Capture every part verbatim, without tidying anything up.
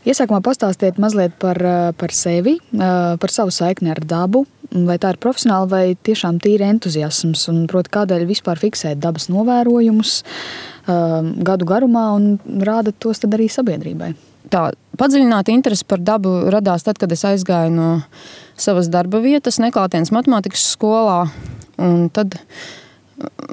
Iesākumā pastāstiet mazliet par, par sevi, par savu saikni ar dabu. Vai tā ir profesionāli vai tiešām tīri entuziasms? Un, proti, kādēļ vispār fiksēt dabas novērojumus gadu garumā un rādat tos tad arī sabiedrībai? Tā padziļināta interese par dabu radās tad, kad es aizgāju no savas darba vietas neklātienes matemātikas skolā. Un tad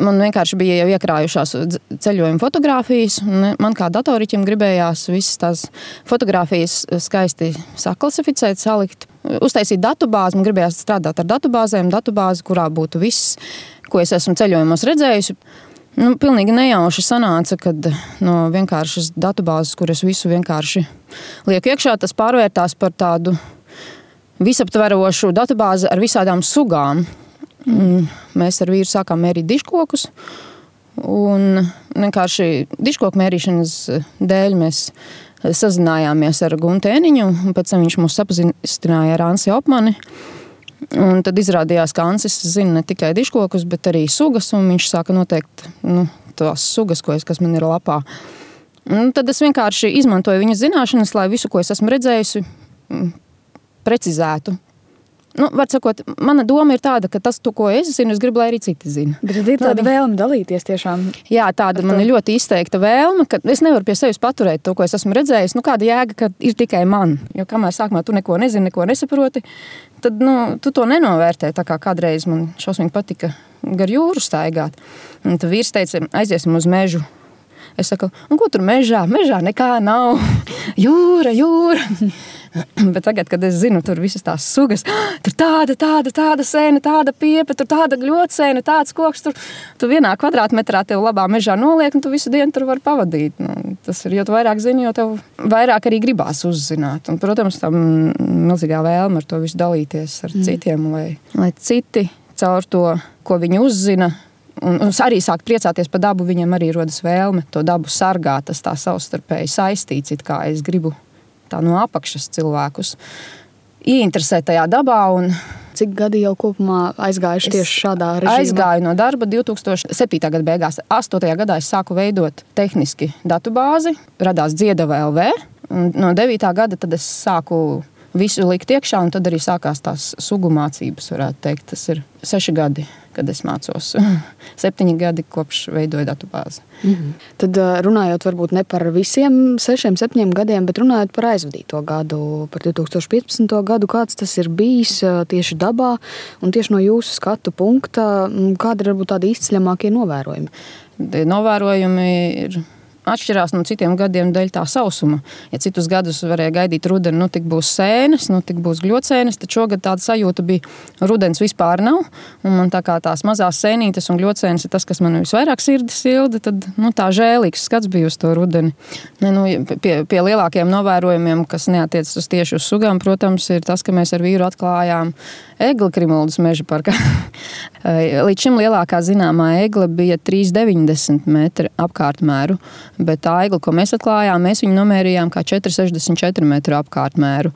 man vienkārši bija jau iekrājušās ceļojuma fotogrāfijas. Man kā datoriķim gribējās visas tās fotogrāfijas skaisti saklasificēt, salikt, uztaisīt datubāzi. Man gribējās strādāt ar datubāzēm, datubāzi, kurā būtu viss, ko es esmu ceļojumos redzējusi. Nu, pilnīgi nejauši sanāca, kad no vienkāršas datubāzes, kur es visu vienkārši lieku iekšā, tas pārvērtās par tādu visaptverošu datubāzi ar visādām sugām. Mēs ar vīru sākām mērīt dižkokus, un vienkārši dižkoku mērīšanas dēļ mēs sazinājāmies ar Guntu Ēniņu, un pēc tam viņš mūs sapazīstināja ar Ansi Opmani. Un tad izrādījās, ka Ansis zina ne tikai dižkokus, bet arī sugas, un viņš sāka noteikt nu, tās sugas, ko es, kas man ir lapā. Un tad es vienkārši izmantoju viņa zināšanas, lai visu, ko es esmu redzējusi, precizētu. Nu, var sakot, mana doma ir tāda, ka tas, to, ko es zinu, es gribu, lai arī citi zina. Bet tad ir tāda vēlme dalīties tiešām. Jā, tāda man ir ļoti izteikta vēlme, ka es nevaru pie sevis paturēt to, ko es esmu redzējis. Nu, kāda jēga, ka ir tikai man. Jo kamēr sākumā tu neko nezini, neko nesaproti, tad nu, tu to nenovērtē. Tā kā kādreiz man šausmīgi patika gar jūru staigāt. Un tad vīrs teica, aiziesim uz mežu. Es saku, un ko tur mežā? Mežā nekā nav. Jūra, jūra. Bet tagad, kad es zinu, tur visas tās sugas, tur tāda, tāda, tāda sēne, tāda piepe, tur tāda gļotsēne, tāds koks, tur tu vienā kvadrātmetrā tev labā mežā noliek, un tu visu dienu tur var pavadīt. Nu, tas ir, jo tu vairāk zini, jo tev vairāk arī gribās uzzināt. Un, protams, tam milzīgā vēlme ar to visu dalīties ar mm. citiem, lai, lai citi caur to, ko viņi uzzina, un, un arī sāk priecāties par dabu, viņiem arī rodas vēlme to dabu sargāt, tas tā savstarpēji saistīts, it kā es gribu tā no apakšas cilvēkus ieinteresēt tajā dabā. Un cik gadi jau kopumā aizgājuši tieši šādā režīmā? Aizgāju no darba divi tūkstoši septītā gada beigās. astotajā gadā es sāku veidot tehniski datubāzi, radās Dziedava L V. Un no devītā gada tad es sāku visu likt iekšā, un tad arī sākās tās sugu mācības, varētu teikt. Tas ir seši gadi, kad es mācos. Septiņi gadi kopš veidoju datubāzi. Mm-hmm. Tad runājot varbūt ne par visiem sešiem, septiņiem gadiem, bet runājot par aizvadīto gadu, par divi tūkstoši piecpadsmito gadu, kāds tas ir bijis tieši dabā un tieši no jūsu skatu punkta, kādi ir varbūt tādi izceļamākie novērojumi? Novērojumi ir atšķirās no citiem gadiem dēļ tā sausuma. Ja citus gadus varēja gaidīt rudeni, nu tik būs sēnes, nu tik būs gļocēnes, tad šogad tāda sajūta bija, rudens vispār nav. Un man tā kā tās mazās sēnītes un gļocēnes ir tas, kas man visvairāk sirdi silda, tad nu, tā žēlīgs skats bija uz to rudeni. Ne, nu, pie, pie lielākiem novērojumiem, kas neatiecas uz tieši uz sugām, protams, ir tas, ka mēs ar vīru atklājām egli Krimuldas meža parkā. Līdz šim lielākā zināmā egle bija trīs deviņdesmit metri apkārtmēru, bet tā egla, ko mēs atklājām, mēs viņu nomērījām kā četri sešdesmit četri metru apkārtmēru.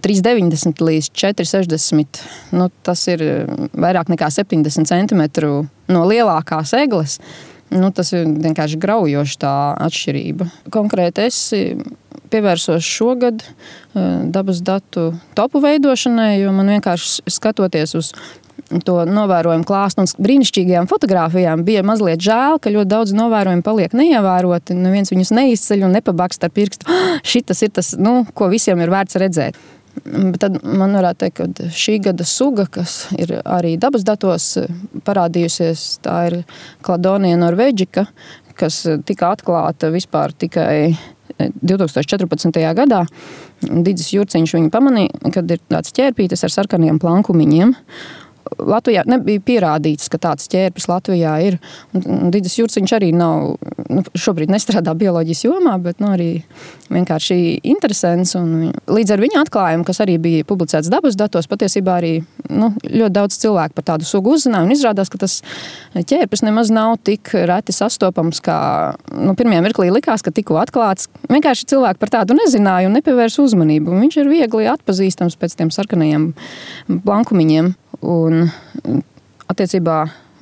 trīs deviņdesmit līdz četri sešdesmit, nu, tas ir vairāk nekā septiņdesmit centimetru no lielākās egles. Nu, tas ir vienkārši graujoši tā atšķirība. Konkrēti es pievērsos šogad dabas datu topu veidošanai, jo man vienkārši skatoties uz to novērojumu klāstu un brīnišķīgajām fotogrāfijām bija mazliet žēl, ka ļoti daudz novērojumu paliek neievēroti, neviens viņus neizceļ un nepabakst ar pirkstu. Šitas ir tas, nu, ko visiem ir vērts redzēt. Bet tad man varētu teikt, ka šī gada suga, kas ir arī dabas datos parādījusies, tā ir Kladonia norvēģika, kas tika atklāta vispār tikai divi tūkstoši četrpadsmitajā gadā. Didzis Jurciņš viņu pamanīja, kad ir tāds ķērpītis ar sarkaniem plankumiņiem. Latvijā nebija pierādīts, ka tāds ķērpis Latvijā ir. Un Didzis Jurciņš arī nav, nu, šobrīd nestrādā bioloģijas jomā, bet nu, arī vienkārši interesants. Un līdz ar viņa atklājumu, kas arī bija publicēts dabas datos, patiesībā arī nu, ļoti daudz cilvēku par tādu sugu uzzināja. Un izrādās, ka tas ķērpis nemaz nav tik reti sastopams, kā nu, pirmajā mirklī likās, ka tikko atklāts. Vienkārši cilvēki par tādu nezināja un nepievērs uzmanību. Un viņš ir viegli atpazīstams pēc tiem sarkanajiem plankumiņiem. Un attiecībā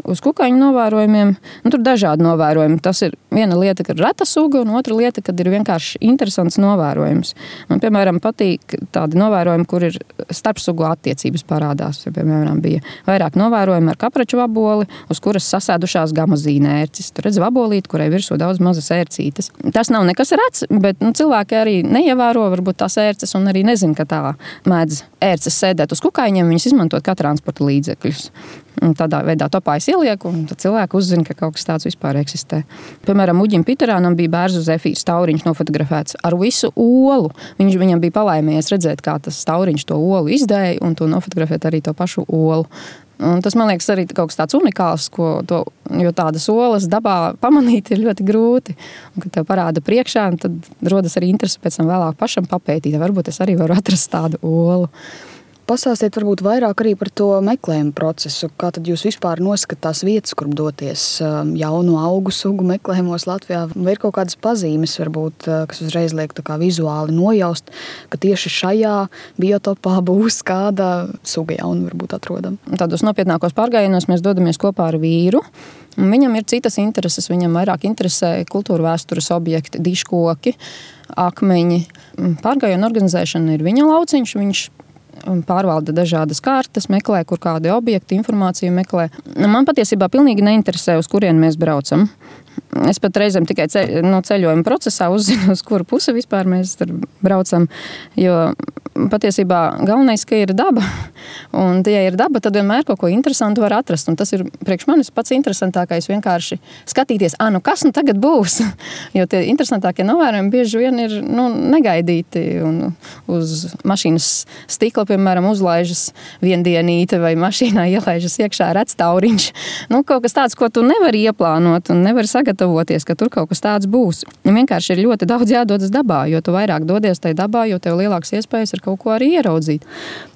uz kukaiņu novērojumiem. Nu, tur dažādi novērojumi. Tas ir viena lieta, kad ir reta suga, un otra lieta, kad ir vienkārši interesants novērojums. Man, piemēram, patīk tādi novērojumi, kur ir starpsugu attiecības parādās. Ja, piemēram, bija vairāk novērojumi ar kapraču vaboli, uz kuras sasēdušās gamazīna ērcis. Tur redz vabolīti, kurai virsū daudz mazas ērcītes. Tas nav nekas rets, bet nu, cilvēki arī neievēro varbūt tās ērces un arī nezin, ka tā mēdz ērces sēdēt uz kukaiņiem, viņas izmantot kā transporta līdzekļus. Un tādā veidā topājas ieliek, un tad cilvēki uzzina, ka kaut kas tāds vispār eksistē. Piemēram, Uģim Piterānam bija bērzu zefīrs tauriņš nofotografēts ar visu olu. Viņš, viņam bija palaimies redzēt, kā tas tauriņš to olu izdēja, un to nofotografēt arī to pašu olu. Un tas, man liekas, arī kaut kas tāds unikāls, ko to, jo tādas olas dabā pamanīt ir ļoti grūti. Un, kad tev parāda priekšā, tad rodas arī interese pēc tam vēlāk pašam papētīt. Varbūt es arī varu atrast tādu olu. Pastāstiet varbūt vairāk arī par to meklējumu procesu. Kā tad jūs vispār noskat tās vietas, kur doties jaunu augu sugu meklējumos Latvijā? Vai ir kaut kādas pazīmes, varbūt, kas uzreiz liek tā kā vizuāli nojaust, ka tieši šajā biotopā būs kāda suga jauna varbūt atrodama? Tādos nopietnākos pārgājienos mēs dodamies kopā ar vīru. Viņam ir citas intereses, viņam vairāk interesē kultūra vēstures objekti, diškoki, akmeņi. Pārgājienu organizēšana ir viņa lauciņš, viņš pārvalda dažādas kartes, meklē, kur kādi objekti, informāciju meklē. Man patiesībā pilnīgi neinteresē, uz kurien mēs braucam. Es pat reizēm tikai ceļ, no ceļojuma procesā uzzinu, uz kuru pusi vispār mēs tur braucam, jo patiesībā galvenais, ka ir daba. Un, ja ir daba, tad vienmēr kaut ko interesantu var atrast. Un tas ir priekš manis pats interesantākais vienkārši skatīties, ah, nu kas nu tagad būs? Jo tie interesantākie novērojumi bieži vien ir nu, negaidīti. Un uz mašīnas stikla, piemēram, uzlaižas viendienīte vai mašīnā ielaižas iekšā redz tauriņš. Nu, kaut kas tāds, ko tu nevari ieplānot un nevari sagatavoties, ka tur kaut kas tāds būs. Un vienkārši ir ļoti daudz jādodas dabā, jo tu vairāk dodies tai dabā, jo tev lielāks iespējas ir kaut ko arī ieraudzīt.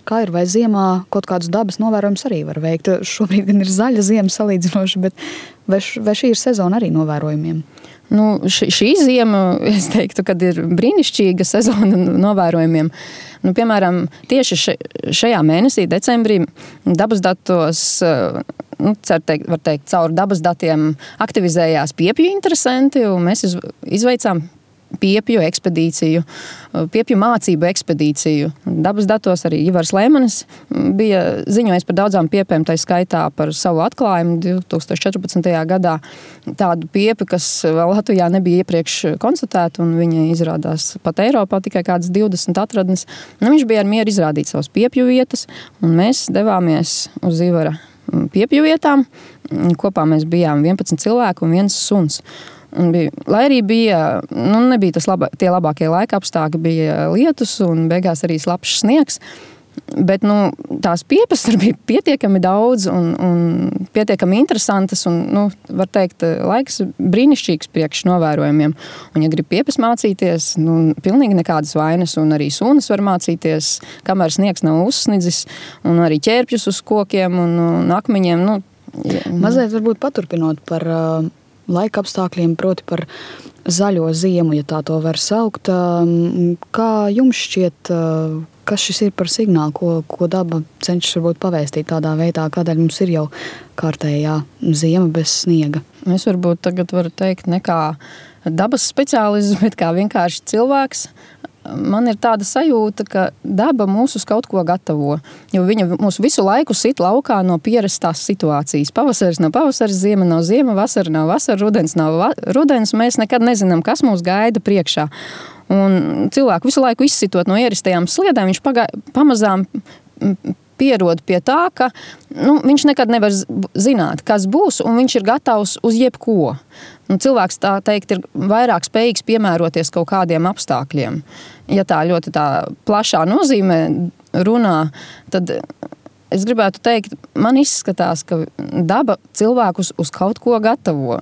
Kā ir, vai ziemā kaut kādus dabas novērojumus arī var veikt? Šobrīd gan ir zaļa ziema salīdzinoši, bet vai, š, vai šī ir sezona arī novērojumiem? Nu, š, šī ziema, es teiktu, kad ir brīnišķīga sezona novērojumiem. Nu, piemēram, tieši še, šajā mēnesī, decembrī, dabas datos, nu, cer teikt, var teikt, caur dabas datiem aktivizējās piepju interesanti, un mēs iz, izveicām piepju ekspedīciju, piepju mācību ekspedīciju. Dabas datos arī Ivars Lēmanis bija ziņojis par daudzām piepēm, tai skaitā par savu atklājumu divi tūkstoši četrpadsmitajā gadā. Tādu piepi, kas vēl Latvijā nebija iepriekš konstatēta, un viņa izrādās pat Eiropā tikai kādas divdesmit atradnes. Nu, viņš bija ar mieru izrādīt savas piepju vietas, un mēs devāmies uz Ivara piepju vietām. Kopā mēs bijām vienpadsmit cilvēku un viens suns. Un bija, lai arī bija, nu, nebija tas laba, tie labākie laika apstākļi, bija lietus un beigās arī slapšs sniegs, bet nu, tās piepas tur bija pietiekami daudz un, un pietiekami interesantas un, nu, var teikt, laiks brīnišķīgs priekš novērojumiem. Un, ja grib piepas mācīties, nu, pilnīgi nekādas vainas, un arī sunas var mācīties, kamēr sniegs nav uzsnidzis, un arī ķērpjus uz kokiem un, un akmeņiem. Nu, ja, Mazliet varbūt paturpinot par uh, laika apstākļiem, proti par zaļo ziemu, ja tā to var saukt. Kā jums šķiet, kas šis ir par signālu, ko, ko daba cenšas varbūt pavēstīt tādā veidā, kādēļ mums ir jau kārtējā ziema bez sniega? Es varbūt tagad varu teikt ne kā dabas speciālists, bet kā vienkārši cilvēks. Man ir tāda sajūta, ka daba mūs uz kaut ko gatavo, jo viņa mūs visu laiku sit laukā no pierastās situācijas. Pavasaris nav pavasaris, ziema nav ziema, vasara nav vasara, rudens nav va- rudens. Mēs nekad nezinām, kas mūs gaida priekšā. Un cilvēku visu laiku izsitot no ierastajām sliedēm, viņš pagā, pamazām pierod pie tā, ka nu, viņš nekad nevar zināt, kas būs, un viņš ir gatavs uz jebko. Un cilvēks, tā teikt, ir vairāk spējīgs piemēroties kaut kādiem apstākļiem. Ja tā ļoti tā plašā nozīmē runā, tad es gribētu teikt, man izskatās, ka daba cilvēkus uz kaut ko gatavo.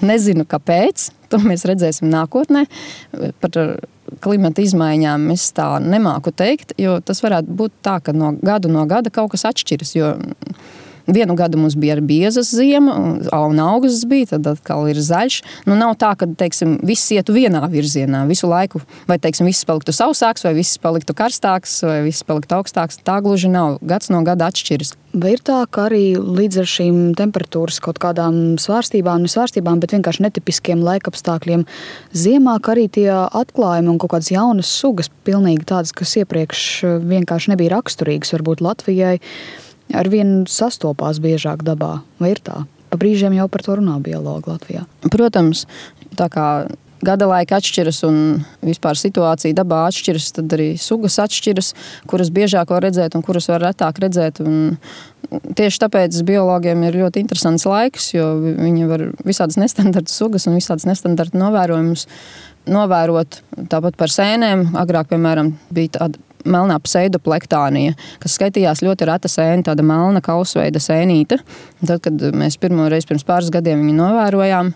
Nezinu, kāpēc, to mēs redzēsim nākotnē. Par klimata izmaiņām es tā nemāku teikt, jo tas varētu būt tā, ka no gadu no gada kaut kas atšķiras, jo Vienu gadu mums bija ar biezas ziema, un augusts bija, tad atkal ir zaļš. Nu, nav tā, ka, teiksim, viss ietu vienā virzienā visu laiku, vai, teiksim, viss paliktu sausāks, vai viss paliktu karstāks, vai viss paliktu augstāks. Tā gluži nav. Gads no gada atšķiras. Vai ir tā, ka arī līdz ar šīm temperatūras kaut kādām svārstībām, ne svārstībām, bet vienkārši netipiskiem laikapstākļiem ziemā, ka arī tie atklājumi un kaut kādas jaunas sugas, pilnīgi tādas, kas iepriekš vienkārši nebija raksturīgas, varbūt Latvijai, arvien sastopās biežāk dabā? Vai ir tā? Pa brīžiem jau par to runā biologi Latvijā. Protams, tā kā gada laika atšķiras un vispār situācija dabā atšķiras, tad arī sugas atšķiras, kuras biežāk var redzēt un kuras var retāk redzēt. Un tieši tāpēc biologiem ir ļoti interesants laiks, jo viņi var visādas nestandarta sugas un visādas nestandarta novērojumus novērot. Tāpat par sēnēm. Agrāk, piemēram, bija tāda melnā pseidoplektānija, kas skaitījās ļoti reta sēne, tāda melna kausveida sēnīte. Tad, kad mēs pirmo reizi pirms pāris gadiem viņu novērojām,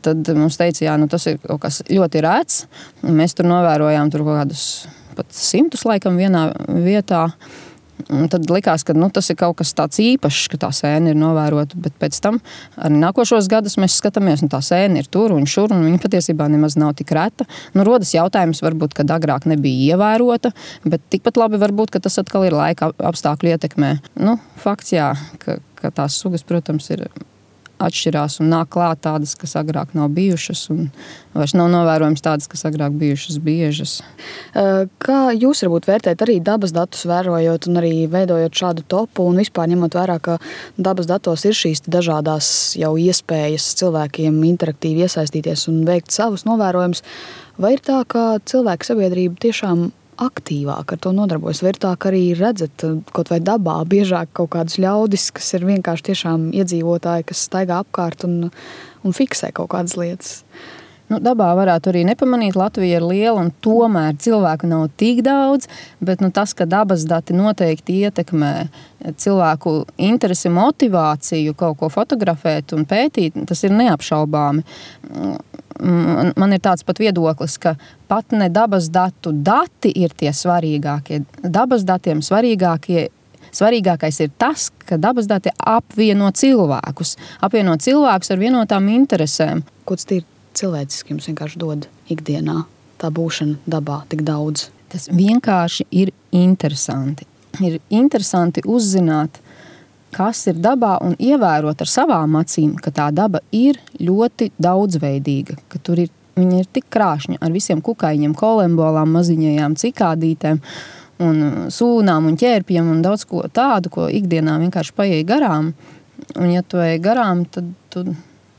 tad mums teica, jā, nu tas ir kaut kas ļoti rēts. Mēs tur novērojām tur kaut kādus pat simtus laikam vienā vietā. Un tad likās, ka nu, tas ir kaut kas tāds īpašs, ka tā sēne ir novērota. Bet pēc tam arī nākošos gadus mēs skatāmies, un tā sēne ir tur un šur, un viņa patiesībā nemaz nav tik reta. Nu, rodas jautājums, varbūt, kad agrāk nebija ievērota, bet tikpat labi varbūt, ka tas atkal ir laika apstākļu ietekmē. Nu, fakts jā, ka, ka tās sugas, protams, ir atšķirās un nāk klāt tādas, kas agrāk nav bijušas, un vairs nav novērojams tādas, kas agrāk bijušas biežas. Kā jūs varbūt vērtēt arī dabas datus vērojot un arī veidojot šādu topu un vispār ņemot vērā, ka dabas datos ir šīs dažādās jau iespējas cilvēkiem interaktīvi iesaistīties un veikt savus novērojumus, vai ir tā, ka cilvēku sabiedrība tiešām aktīvāk ar to nodarbojas? Vai ir tā, ka arī redzat kaut vai dabā biežāk kaut kādus ļaudis, kas ir vienkārši tiešām iedzīvotāji, kas staigā apkārt un, un fiksē kaut kādas lietas? Nu, dabā varētu arī nepamanīt, Latvija ir liela un tomēr cilvēku nav tik daudz, bet nu, tas, ka dabas dati noteikti ietekmē cilvēku interesi, motivāciju kaut ko fotografēt un pētīt, tas ir neapšaubāmi. Man ir tāds pat viedoklis, ka pat ne dabas datu dati ir tie svarīgākie. Dabas datiem svarīgākie Svarīgākais ir tas, ka dabas dati apvieno cilvēkus. Apvieno cilvēkus ar vienotām interesēm. Ko tas ir cilvēciski jums vienkārši dod ikdienā? Tā būšana dabā tik daudz. Tas vienkārši ir interesanti. Ir interesanti uzzināt, kas ir dabā un ievērot ar savām acīm, ka tā daba ir ļoti daudzveidīga, ka tur ir, viņa ir tik krāšņa ar visiem kukaiņiem, kolembolām, maziņajām cikādītēm un sūnām un ķērpiem un daudz ko tādu, ko ikdienā vienkārši paieja garām. Un ja tu ej garām, tad tu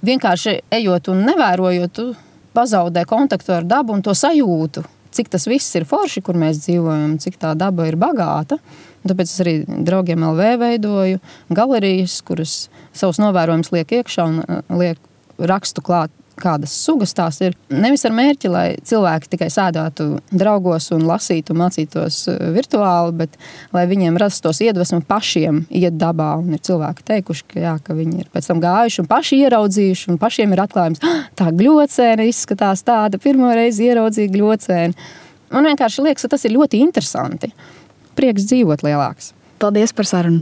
vienkārši ejot un nevērojot, tu pazaudē kontaktu ar dabu un to sajūtu, cik tas viss ir forši, kur mēs dzīvojam, cik tā daba ir bagāta. Tāpēc es arī draugiem L V veidoju galerijas, kuras savus novērojumus liek iekšā un liek rakstu klāt, kādas sugas tās ir. Nevis ar mērķi, lai cilvēki tikai sēdētu draugos un lasītu, mācītos virtuāli, bet lai viņiem rastos iedvesmu pašiem iet dabā. Un ir cilvēki teikuši, ka, jā, ka viņi ir pēc tam gājuši un paši ieraudzījuši, un pašiem ir atklājums, tā gļocēna izskatās tāda, pirmo reizi ieraudzīja gļocēnu. Man vienkārši liekas, ka tas ir ļoti interesanti. Prieks dzīvot lielāks. Paldies par sarunu!